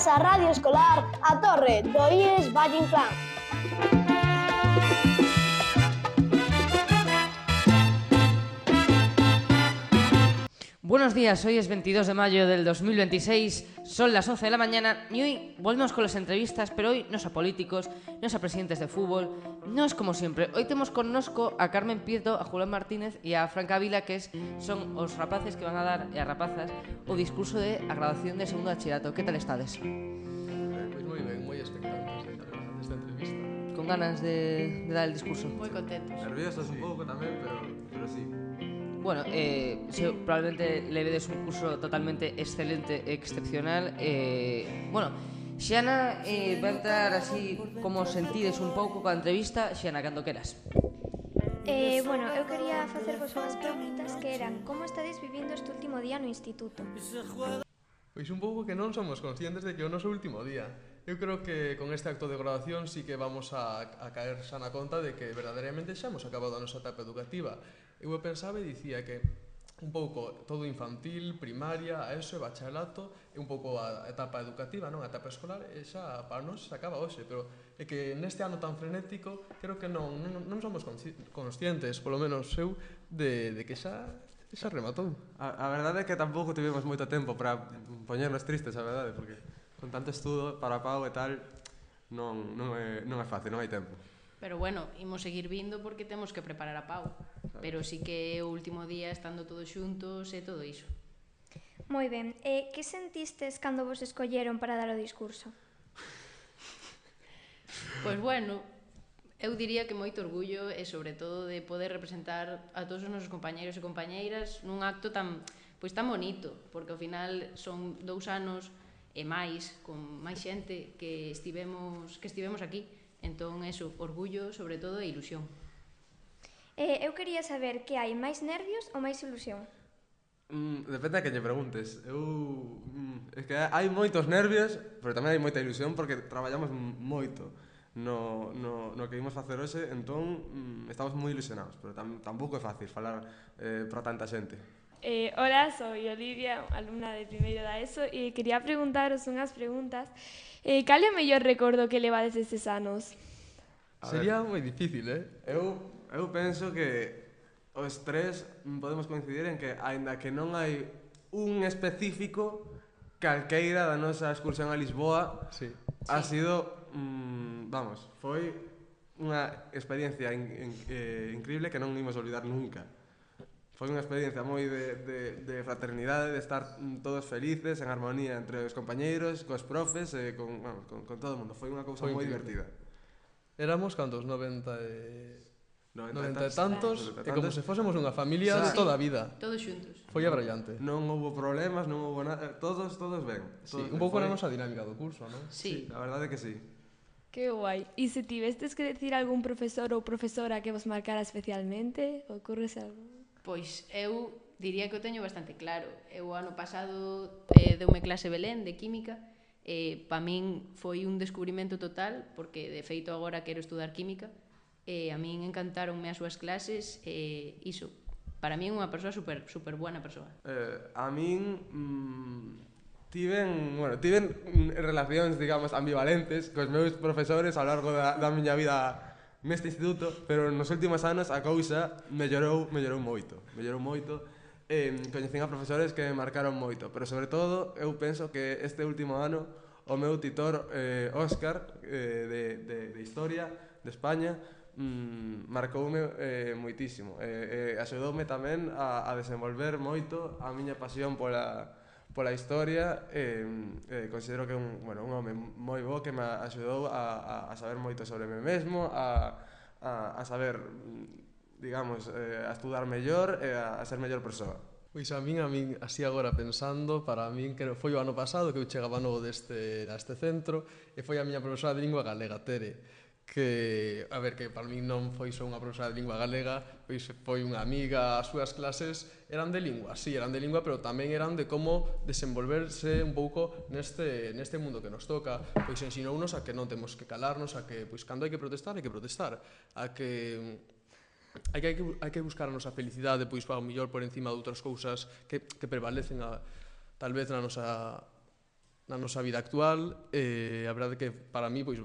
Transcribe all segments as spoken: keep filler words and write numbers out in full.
Benvidos á Radio Escolar A Torre do I E S Valle Inclán. Buenos días, hoy es veintidós de mayo del dos mil veintiséis, son las once de la mañana y hoy volvemos con las entrevistas, pero hoy no es a políticos, no es a presidentes de fútbol, no es como siempre. Hoy tenemos con nosco a Carmen Prieto, a Julián Martínez e a Fran Cavila, que es, son os rapaces que van a dar, e as rapazas, o discurso de a graduación de segundo bachillerato. Que tal estades? Eh, pois moi ben, moi expectantes desta entrevista. Con ganas de, de dar el discurso? Moi contentos. Nerviosos un pouco tamén, pero, pero sí. Bueno, eh, sí, probablemente le vedes un curso totalmente excelente, excepcional. Eh, bueno, Xiana eh, va a entrar así como sentides un pouco coa entrevista. Xiana, cando queras. Eh, bueno, eu quería facervos unhas preguntas que eran: como estades vivindo este último día no instituto? Pois un pouco que non somos conscientes de que é o noso último día. Eu creo que con este acto de graduación sí que vamos a, a caer xa na conta de que verdadeiramente xa hemos acabado a nosa etapa educativa. Eu pensaba e dicía que un pouco todo infantil, primaria, a eso e bacharelato e un pouco a etapa educativa, non? A etapa escolar e xa para nós se acaba hoxe, pero é que neste ano tan frenético creo que non, non, non somos conscientes, polo menos eu, de, de que xa xa rematou. A, a verdade é que tampouco tivemos moito tempo para poñernos tristes, a verdade, porque con tanto estudo para Pau e tal non, non, é, non é fácil, non hai tempo. Pero bueno, imos seguir vindo porque temos que preparar a Pau. Pero sí que é o último día estando todos xuntos e todo iso. Moi ben, e que sentistes cando vos escolleron para dar o discurso? Pois bueno, eu diría que moito orgullo e sobre todo de poder representar a todos os nosos compañeiros e compañeiras nun acto tan, pois tan bonito, porque ao final son dous anos e máis, con máis xente que estivemos, que estivemos aquí. Entón, eso, orgullo, sobre todo, e ilusión. Eh, eu quería saber que hai máis nervios ou máis ilusión? Mm, depende a que lle preguntes. Eu... Mm, é que hai moitos nervios, pero tamén hai moita ilusión porque traballamos moito no, no, no que imos facer hoxe, entón mm, estamos moi ilusionados, pero tam, tampouco é fácil falar eh, para tanta xente. Eh, hola, soy Olivia, alumna de primeiro da ESO, e quería preguntaros unhas preguntas. Eh, cal é o mellor recordo que levades estes anos? A Sería moi difícil, eh? Eu, eu penso que os tres podemos coincidir en que, aínda que non hai un específico, calqueira da nosa excursión a Lisboa sí. ha sido, mmm, vamos, foi unha experiencia in, in, eh, increíble que non imos olvidar nunca. Foi unha experiencia moi de, de, de fraternidade, de estar todos felices, en armonía entre os compañeiros, cos profes e con, bueno, con, con todo o mundo. Foi unha cousa moi divertida. Éramos cantos, noventa e... noventa e tantos, tantos, e como se fósemos unha familia de toda a vida. Todos xuntos. Foi abrallante. Non houbo problemas, non houbo nada, todos, todos ben. Sí, un pouco na nosa dinámica do curso, non? Sí. A verdade é que sí. Que guai. E se tivestes que decir algún profesor ou profesora que vos marcara especialmente, ocurrese algo? Pois eu diría que o teño bastante claro. Eu ano pasado eh, deume clase Belén de Química e pa min foi un descubrimento total porque de feito agora quero estudar Química e a min encantaronme as súas clases e iso, para min é unha persoa super, super buena persoa. Eh, a min mmm, tiven, bueno, tiven relacións, digamos, ambivalentes cos meus profesores ao largo da, da miña vida neste instituto, pero nos últimos anos a cousa mellorou, mellorou moito, mellorou moito. Eh, coñecín a profesores que me marcaron moito, pero sobre todo eu penso que este último ano o meu titor eh, Óscar eh, de, de, de Historia de España mm, marcoume eh, moitísimo e eh, eh, axudoume tamén a, a desenvolver moito a miña pasión pola pola historia e eh, considero que é un, bueno, un home moi bo que me axudou a, a, a saber moito sobre mí mesmo, a, a, a saber, digamos, eh, a estudar mellor e a, a ser mellor persoa. Pois a min, a min, así agora pensando, para min que foi o ano pasado que eu chegaba novo deste, deste centro e foi a miña profesora de lingua galega, Tere, que, a ver, que para min non foi só unha profesora de lingua galega, pois foi unha amiga, as súas clases eran de lingua, sí, eran de lingua, pero tamén eran de como desenvolverse un pouco neste, neste mundo que nos toca, pois ensinounos a que non temos que calarnos, a que, pois, cando hai que protestar, hai que protestar, a que hai que, hai que, hai que buscar a nosa felicidade, pois, ao mellor por encima de outras cousas que, que prevalecen a, tal vez na nosa na nosa vida actual, e a verdade que para mí, pois,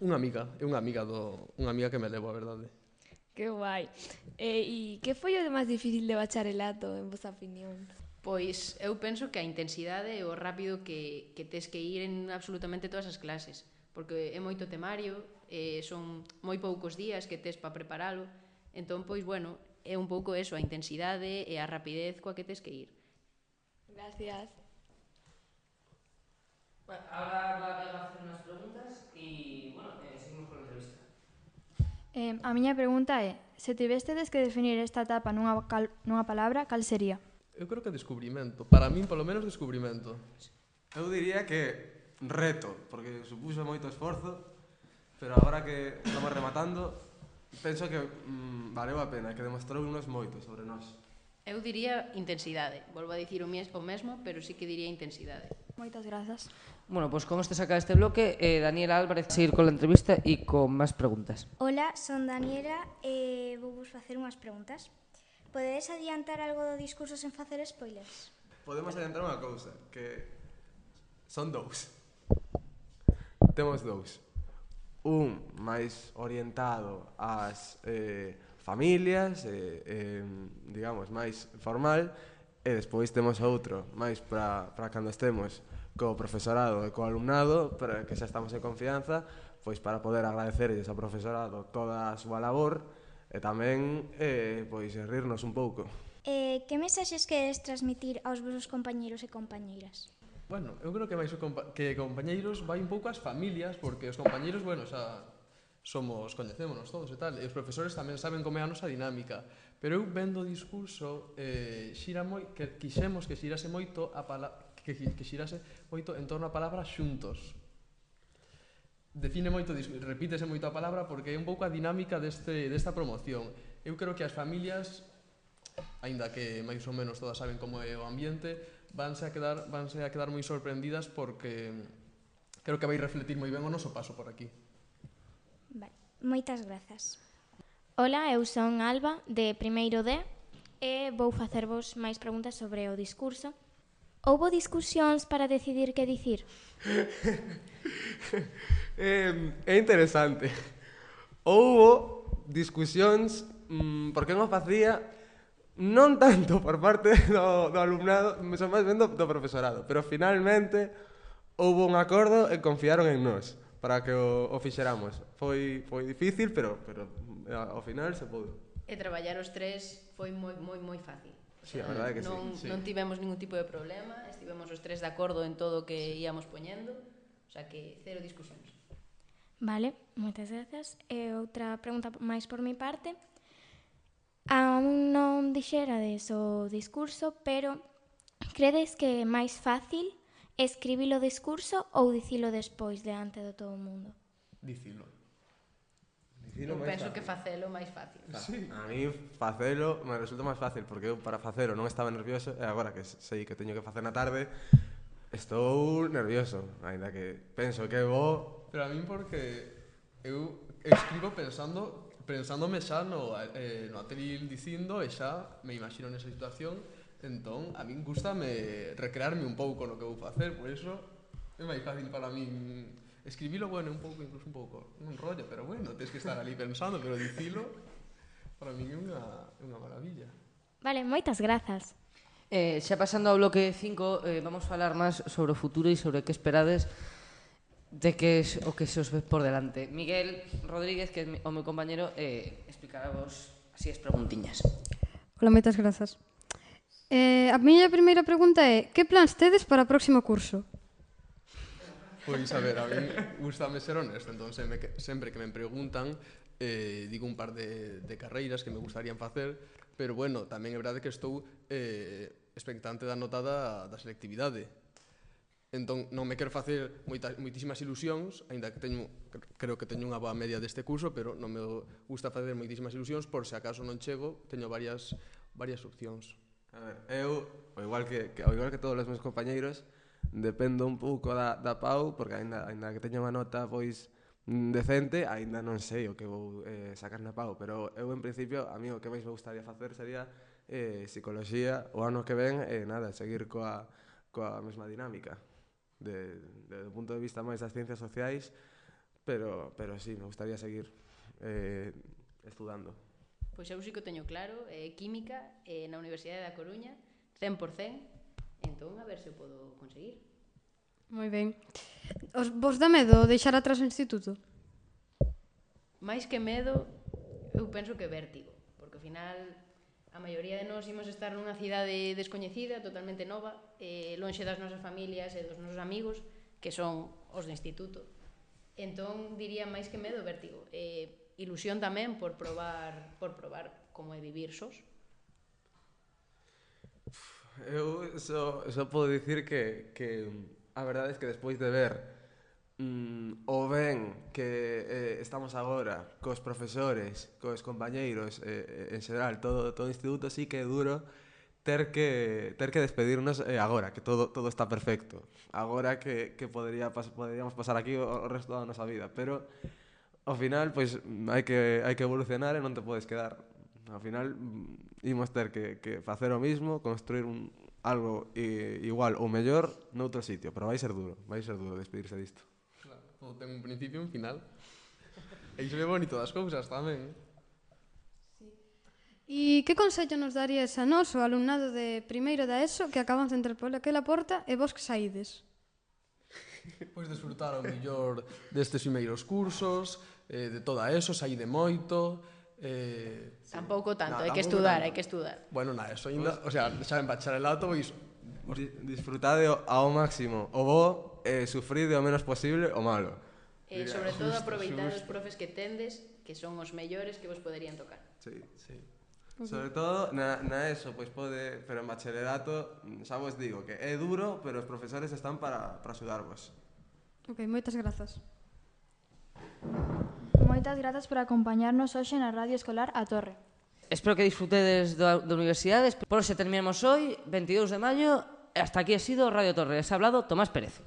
unha amiga, é unha amiga do, unha amiga que me levo, a verdade. Que guai. Eh, e que foi o máis difícil de bacharelato, en vosa opinión? Pois eu penso que a intensidade é o rápido que, que tes que ir en absolutamente todas as clases, porque é moito temario, eh, son moi poucos días que tes para preparalo, entón, pois, bueno, é un pouco eso, a intensidade e a rapidez coa que tes que ir. Gracias. Bueno, ahora va a hacer unas preguntas y, bueno, eh, seguimos con la entrevista. Eh, a miña pregunta é, se tivestedes que definir esta etapa nunha, cal, nunha palabra, cal sería? Eu creo que descubrimento, para min polo menos descubrimento. Eu diría que reto, porque supuxo moito esforzo, pero agora que estamos rematando, penso que mm, valeu a pena, que demostrou unos moito sobre nós. Eu diría intensidade, volvo a dicir o, mes, o mesmo, pero sí que diría intensidade. Moitas grazas. Bueno, pues con esto se acaba este bloque. Eh, Daniela Álvarez a seguir con la entrevista y con más preguntas. Ola, son Daniela e vou vos facer unhas preguntas. Podedes adiantar algo do discurso sen facer spoilers? Podemos adiantar unha cousa, que son dous. Temos dous. Un máis orientado ás eh, familias, eh, eh, digamos, máis formal, e despois temos outro máis para para cando estemos co profesorado e co alumnado, para que xa estamos en confianza, pois para poder agradecerlles ao profesorado toda a súa labor e tamén eh, pois rirnos un pouco. Eh, que mensaxes queres transmitir aos vosos compañeiros e compañeiras? Bueno, eu creo que máis o compa que compañeiros vai un pouco ás familias, porque os compañeiros, bueno, xa somos, coñecémonos todos e tal, e os profesores tamén saben como é a nosa dinámica, pero eu vendo o discurso eh, xira moi, que quixemos que xirase moito a pala, que, que xirase moito en torno a palabra xuntos. Define moito, repítese moito a palabra porque é un pouco a dinámica deste, desta promoción. Eu creo que as familias, aínda que máis ou menos todas saben como é o ambiente, vanse a quedar, vanse a quedar moi sorprendidas porque creo que vai refletir moi ben o noso paso por aquí. Vale, moitas grazas. Ola, eu son Alba, de primeiro D, e vou facervos máis preguntas sobre o discurso. Houbo discusións para decidir que dicir? eh, é interesante. Houbo discusións mmm, por que non facía, non tanto por parte do, do alumnado, son máis ben do, do profesorado, pero finalmente houbo un acordo e confiaron en nós para que o, o fixeramos. Foi, foi difícil, pero, pero ao final se pudo. E traballar os tres foi moi, moi, moi fácil. Sí, a verdade que non, sí. Non tivemos ningún tipo de problema, estivemos os tres de acordo en todo o que íamos poñendo, o sea que cero discusións. Vale, moitas grazas. E outra pregunta máis por mi parte. Aún non dixerades o discurso, pero credes que é máis fácil escribir o discurso ou dicilo despois diante de todo o mundo? Dicilo. Eu penso que facelo máis fácil. Sí. A mí facelo me resulta máis fácil, porque eu para facelo non estaba nervioso e agora que sei que teño que facer na tarde estou nervioso, aínda que penso que vou. Pero a min porque eu escribo pensando pensándome xa no, eh, no atril dicindo e xa me imagino nesa situación, entón a min gustame recrearme un pouco no que vou facer, por iso é máis fácil para min escribilo, bueno, un pouco, incluso un pouco un rollo, pero bueno, tens que estar ali pensando, pero dicilo para min é unha, unha maravilla. Vale, moitas grazas. Eh, xa pasando ao bloque cinco, eh, vamos falar máis sobre o futuro e sobre que esperades de que es o que se os ve por delante. Miguel Rodríguez, que é o meu compañero, eh, explicará vos así as preguntiñas. Ola, moitas grazas. Eh, a miña primeira pregunta é: que plans tedes para o próximo curso? Pois, a ver, a mí gustame ser honesto, entón sempre que, sempre que me preguntan eh, digo un par de, de carreiras que me gustarían facer, pero bueno, tamén é verdade que estou eh, expectante da nota da, da selectividade. Entón, non me quero facer moita, moitísimas ilusións, aínda que teño, creo que teño unha boa media deste curso, pero non me gusta facer moitísimas ilusións, por se acaso non chego, teño varias, varias opcións. A ver, eu, ao igual que, que, ao igual que todos os meus compañeiros, dependo un pouco da, da Pau, porque aínda, aínda que teña unha nota pois decente, aínda non sei o que vou eh, sacar na Pau, pero eu en principio, a mí o que máis me gustaría facer sería eh, psicoloxía o ano que ven, e eh, nada, seguir coa, coa mesma dinámica. de, de, do punto de vista máis das ciencias sociais, pero, pero sí, me gustaría seguir eh, estudando. Pois eu sí que o teño claro, eh, química eh, na Universidade da Coruña, cen por cen, entón a ver se o podo conseguir. Moi ben. Os, vos dá medo deixar atrás o instituto? máis que medo, eu penso que vértigo, porque ao final a maioría de nós imos estar nunha cidade descoñecida, totalmente nova, eh, lonxe das nosas familias e dos nosos amigos, que son os do instituto. Entón, diría máis que medo, vértigo. Eh, ilusión tamén por probar, por probar como é vivir sós. Eu só, só podo dicir que, que a verdade é que despois de ver mm, o ben que eh, estamos agora cos profesores, cos compañeiros, eh, en xeral, todo, todo o instituto, sí que é duro ter que, ter que despedirnos eh, agora, que todo, todo está perfecto. Agora que, que podría, pas, poderíamos pasar aquí o, o resto da nosa vida, pero ao final, pois, hai que, hai que evolucionar e non te podes quedar. Ao final, imos ter que, que facer o mismo, construir un, algo i, igual ou mellor noutro sitio, pero vai ser duro, vai ser duro despedirse disto. Claro, todo ten un principio e un final. E iso é bonito das cousas tamén. E que consello nos darías a nós, o alumnado de primeiro da ESO, que acabamos de entrar por aquela porta e vos que saídes? Pois desfrutar ao mellor destes primeiros cursos, eh, de toda ESO, saíde moito. Eh, Tampouco tanto, nah, hai que tampouco estudar, tanto. hai que estudar. Bueno, na ESO ainda, o sea, xa en bacharelato, pois Di, disfrutade ao máximo o bo e sufride o menos posible o malo. E sobre todo aproveitar os profes que tendes, que son os mellores que vos poderían tocar. Sí, sí. Sobre todo na, na ESO, pois pode, pero en bacharelato, xa vos digo que é duro, pero os profesores están para, para axudarvos. Ok, moitas grazas. Moitas grazas por acompañarnos hoxe na Radio Escolar A Torre. Espero que disfrutedes da, da universidade. Por hoxe terminamos hoy, veintidós de maio, e hasta aquí ha sido Radio Torre. Les ha hablado Tomás Pérez.